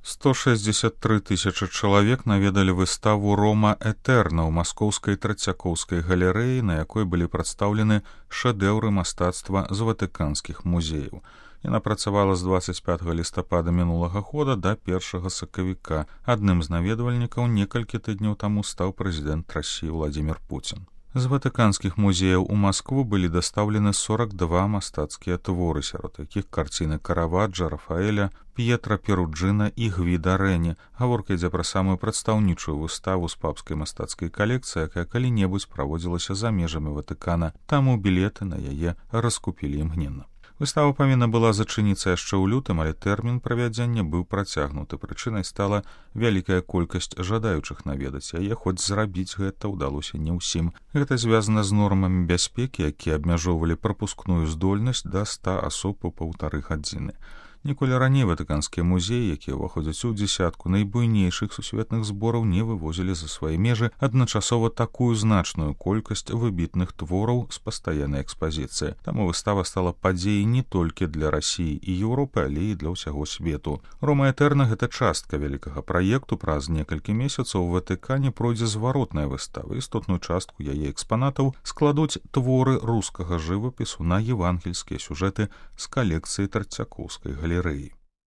163 тысячы чалавек наведалі выставу Рома Этерна ў маскоўскай Трацякоўскай галерэі, на якой былі прадстаўлены шэдэўры мастацтва з ватыканскіх музеяў. Яна працавала з 25 лістапада мінулага года да 1 сакавіка. Адным з наведвальнікаў некалькі тыдняў таму стаў прэзідэнт Расіі Владзімір Пуцін. З ватыканскіх музеяў у Маскву былі дастаўлены 42 мастацкія творы, сярод якіх карціны Караваджа, Рафаэля, П'етра Перуджына і Гвіда Рэні. Гаворка ідзе пра самую прадстаўнічую выставу з папскай мастацкай калекцыі, якая калі-небудзь праводзілася за межамі Ватыкана, таму білеты на яе раскупілі імгненна. Выстава павінна была зачыніцца яшчэ ў лютым, але тэрмін правядзення быў працягнуты. Прычынай стала вялікая колькасць жадаючых наведаць яе, хоць зрабіць гэта ўдалося не ўсім. Гэта звязана з нормамі бяспекі, якія абмяжоўвалі прапускную здольнасць да 100 асоб у 1,5 гадзіны. Ніколі раней ватыканскія музеі, якія ўваходзяць у дзесятку найбуйнейшых сусветных збораў, не вывозілі за свае межы адначасова такую значную колькасць выбітных твораў з пастаяннай экспазіцыі. Таму выстава стала падзеяй не толькі для Расіі і Еўропы, але і для ўсяго свету. Рома Этерна — гэта частка вялікага праекту. Праз некалькі месяцаў у Ватыкане пройдзе зваротная выстава. Істотную частку яе экспанатаў складуць творы рускага жывапісу на евангельскія сюжэты з калекцыі Трацякоўскай галерэі.